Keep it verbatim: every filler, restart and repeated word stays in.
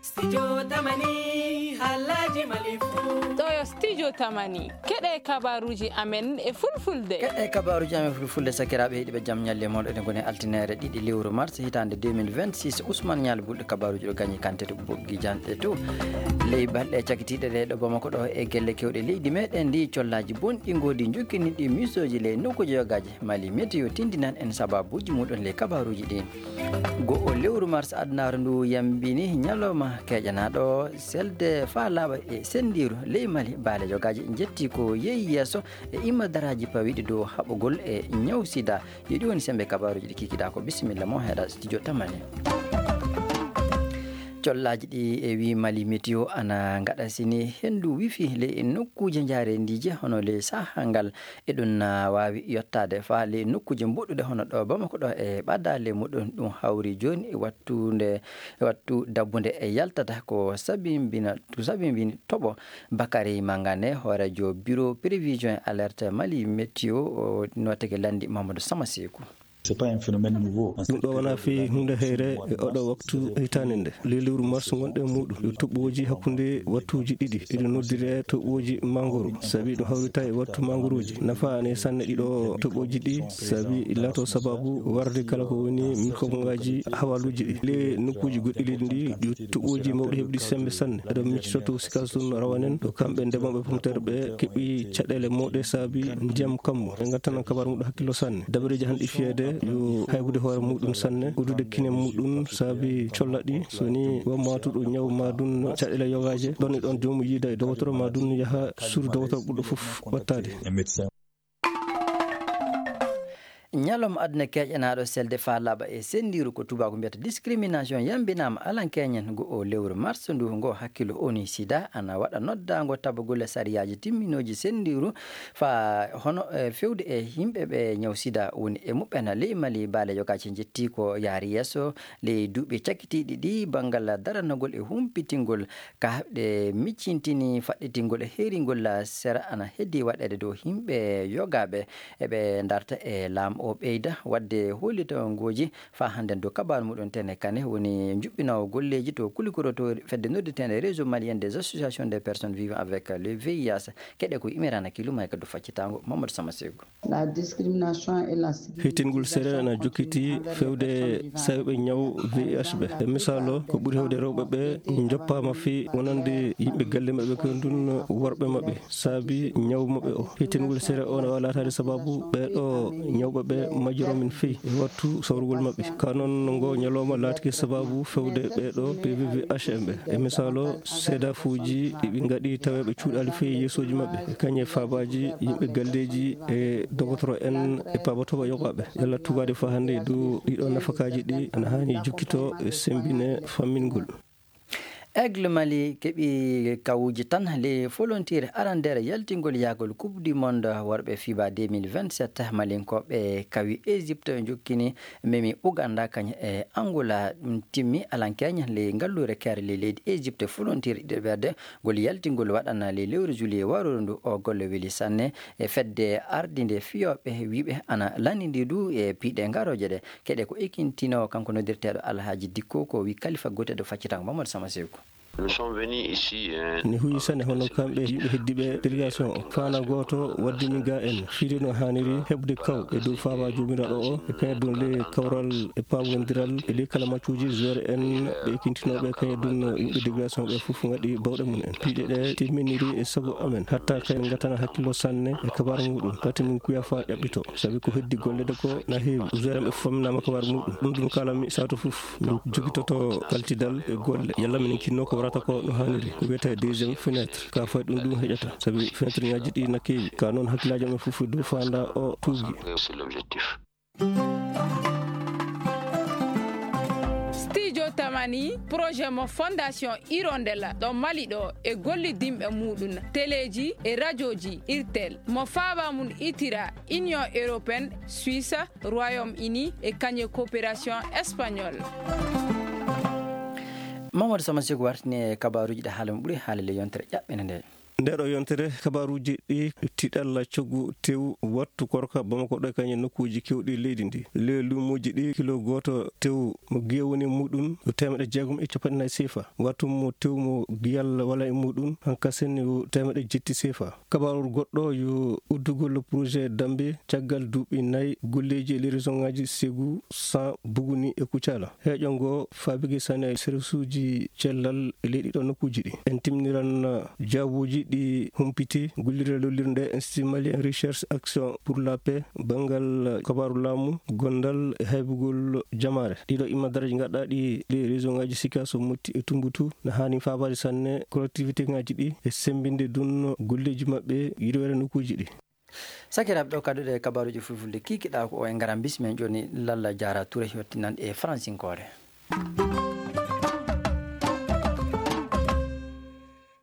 Studio Tamani, haalaaji Mali fuu. Ɗo yo Studio Tamani. Keɗe kabaruuji amen e fulfulde. Keɗe kabaruuji amen fulfulde, sakiraaɓe heɗiiɓe, jam ñalle mon. Eɗen ngoni altine ɗiɗi lewru mars hitaande deux mille vingt-six. Ousmane Ñaali Bulɗo kabaruuji ɗo gañi kante to boggi janɗe to. Ley balɗe cakitiiɗe ɗe ɗo Bamako ɗo e gelle kewɗe leydi meɗen ndi, collaaji bonɗi ngoodi njokkini ɗi misooji ley nokkuuji yogaaji. Mali Météo tindinan en sababuuji muɗum ley kabaruuji ɗi. Go'o lewru mars adunaaru ndu yambini ñalawma keƴanaaɗo selde faa laaɓa e senndiiru ley Mali. Baale yogaaji njetti ko yehi yeeso e imma daraaji pawiiɗi dow haɓugol e ñaw sida. Yo ɗi woni semmbe kabaruuji ɗi kikiɗaa ko. Bisimilla mo heɗa studio Tamani. Collaaji ɗi e wi Mali Météo ana ngaɗa sini henndu wifi ley nokkuuje njaarendiije hono ley saha ngal. E ɗum na waawi yottaade faa ley nokkuuje mboɗɗuɗe hono ɗo Bamako ɗo e ɓadaale muɗum. Ɗum hawri jooni e wattude, e wattu dabbunde e yaltata ko sabimbina, ko sabimbini toɓo. Bakary Mangane, hooreejo Bureau Prévision et Alerte Mali Météo, o nootake lanndi Mamadou Samasekou. C'est pas un phénomène nouveau. Ɗum ɗo wonaa fii huunde heyre e oɗo waktu hitaande nde. Ley lewru mars ngonɗen muɗum, yo toɓɓooji hakkunde wattuuji ɗiɗi, iɗo noddiree toɓɓooji mangoro, sabi ɗum hawrita e wattu mangorooji. Nafa ana e sanne ɗiɗo toɓɓooji ɗi, sabi laato sababu warde kala ko woni mikroobngaaji hawaluuji ɗi. Ley nokkuuji goɗɗi leydi ndi, yo toɓɓooji mawɗi heɓuɗi semmbe sanne. Eɗo miccito to Sikasoor rawanen, ɗo kamɓe ndemooɓe pomteer ɓe keɓi caɗeele mawɗe sabi ndiyam kammu. En ngattan kabaru muɗum hakkillo sanne. Dabareeji hanɗi fiyeede yo haybude hoore muɗum sanne, uddude kine muɗum sabi colla ɗi. So ni won maatuɗo ñaw maa ɗum caɗeele yogaaje, ɗon e ɗon joomum yiida e dogotoro maa ɗum yaha suudu dogotoro ɓurɗo fof wattaade. Ñalawma aduna keƴanaaɗo selde faa laaɓa e senndiiru, ko tubaaku mbiyata discrimination, yambinaama alankeeñen go'o lewru mars ndu. Ngo hakkillo O N U sida ana waɗa noddaango tabagol sariyaaji timminooji senndiiru faa hono, e, fewde e yimɓe ɓe ñaw sida woni e muɓɓen. Ley Mali, baale yogaaji njetti ko yaari yeeso ley duuɓi cakkitiiɗi ɗi banngal daranagol e humpitingol. Ka ɗe miccintini faɗɗitingol e heeringol sera ana heddii waɗeede dow yimɓe yogaaɓe. Eɓe ndarta e laam o ɓeyda waɗde hollitangooji faa hannden dow kabaaru muɗum. Tene Kane woni njuɓɓinoowo golleeji to kulikoro to fedde noddirteende Réseau Malien des Associations des Personnes Vivant avec le V I H. Keɗe ko Imirana Kiluma e kaddu faccitaango Mamadou Samasekou. La discrimination et la Hitingol seereere ana jokkiti fewde sawɓe ñaw V I H ɓe. E misaalo, ko ɓuri heewde rewɓe ɓe njoppaama fii wonande yimɓe galle maɓɓe, ko ɗum worɓe maɓɓe, saabi ñaw maɓɓe o. Hitingol seereere o na waawi laataade sababu ɓee ɗo ñawɓe ɓe majjiroo min fii e wattu sawrugol maɓɓe. Ka noon ngo ñalawma laatike sababu fewde ɓee ɗo P V V H M ɓe. E misaalo, seedaafuuji ɗi ɓe ngaɗi taweeɓe cuuɗaali fii yeesooji maɓɓe, e kañe faabaaji yimɓe galleeji e dogotoro en e paabotooɓe yogaaɓe. Yalla tugaade faa hannde e dow ɗiɗo nafakaaji ɗi ana haani jokkito e semmbine fammingol. Aigle Mali keɓi kawuuji tan ley folontiire arandeere yaltingol yahgol Coupe du Monde worɓe fiba deux mille vingt-sept. Malinkooɓe kawi Égypte, jokkini memi Ouganda kañum e Angola. Ɗum timmi alankeeñe ley ngalluure keere ley leydi Égypte. Folontiire ɗiɗaɓerde ngol yaltingol waɗana ley lewru juillet warooru ndu. O golle weli sanne e fedde ardinde fiyooɓe, wiiɓe ana lanndindii du e piiɗe ngarooje ɗe. Keɗe ko ekintinoowo kanko noddirteeɗo Alhaji Dikko, ko wi kalifa gooteeɗo faccitango Mamadou Sama Seeku. Nous sommes venus ici, euh, Ni huyi sane hono kamɓe yimɓe heddiiɓe délégation o. Faana gooto waddini ga en fiide no haaniri heɓde kaw e dow faaba joomiraaɗo o, e kañum ɗum ley kawral e paamondiral e ley kala maccuuji joueur en ɓe ekintinooɓe, kañum ɗum yimɓe délégation ɓe fof ngaɗi bawɗe mum en. Piiɗe ɗe timminiri e sago amen, hatta kay ngatana hakkillo sanne e kabaar muɗum, pati min kuya fa ƴaɓɓito, sabi ko heddi golleede ko na heewi. Joueur en ɓe fof naama kabaar muɗum. Ɗum ɗum kala mi sato fof. Min jogitoto kaltidal e golle. Yalla minen kinno ko warata ko no haaniri. Ko wiyetee deuxième fenêtre. Ka fay ɗum ɗum heƴata. Sabi fenêtre ŋaaji ɗi na keewi. Ka noon hakkillaaji amen fof e dow faanda o tuugi. C'est l'objectif. Studio Tamani, projet mo Fondation Hirondelle ɗo Mali ɗo e gollidinɓe muɗum, teleeji e rajooji Irtel, mo faaba mum itira Union Européenne, Suisse, Royaume-Uni e kañum coopération espagnole. Mamadou Sama Seeku wartini e kabaaruuji ɗi haala mo ɓuri haalde ley yontere ƴaɓɓende nde. Nde ɗo yontere, kabaaruuji ɗi tiɗalla coggu tew wattu korka Bamako ɗo e kañum nokkuuji kewɗi leydi ndi. Le luumoji ɗi kilo gooto tew mo gewoni muɗum yo temeɗe jeegom e capanɗe nayi sefa. Wattu mo tew mo giyal wala e muɗum hankasen yo temeɗe jetti sefa. Kabaaru goɗɗo yo uddugol projet Dambe caggal duuɓi nayi golleeji e lerisoŋaaji Segu, San, Buguni e Kucala. Heeƴo ngo faabike sane e servisuuji cellal e leyɗi ɗo nokkuuji ɗi. En timniran jaabuuji ɗi humpiti gollirde lollirde Institut Malien Recherche Action pour la Paix, banngal kabaaru laamu, gondal e haybugol jamaare. Ɗiɗo imma daraji gaɗɗaaɗi ɗi région ŋaaji Sikaso, Motti e Tumbutu na haani faabaade sanne collectivité ŋaaji ɗi e semmbinde ɗum golleeji maɓɓe yirwere nokkuuji ɗi. Sakiraaɓe, ɗo kadduɗe e kabaaruuji fulfulde kikiɗaa ko o e ngaram bismen jooni. Lalla Jaara Ture yottinan e faransinkoore.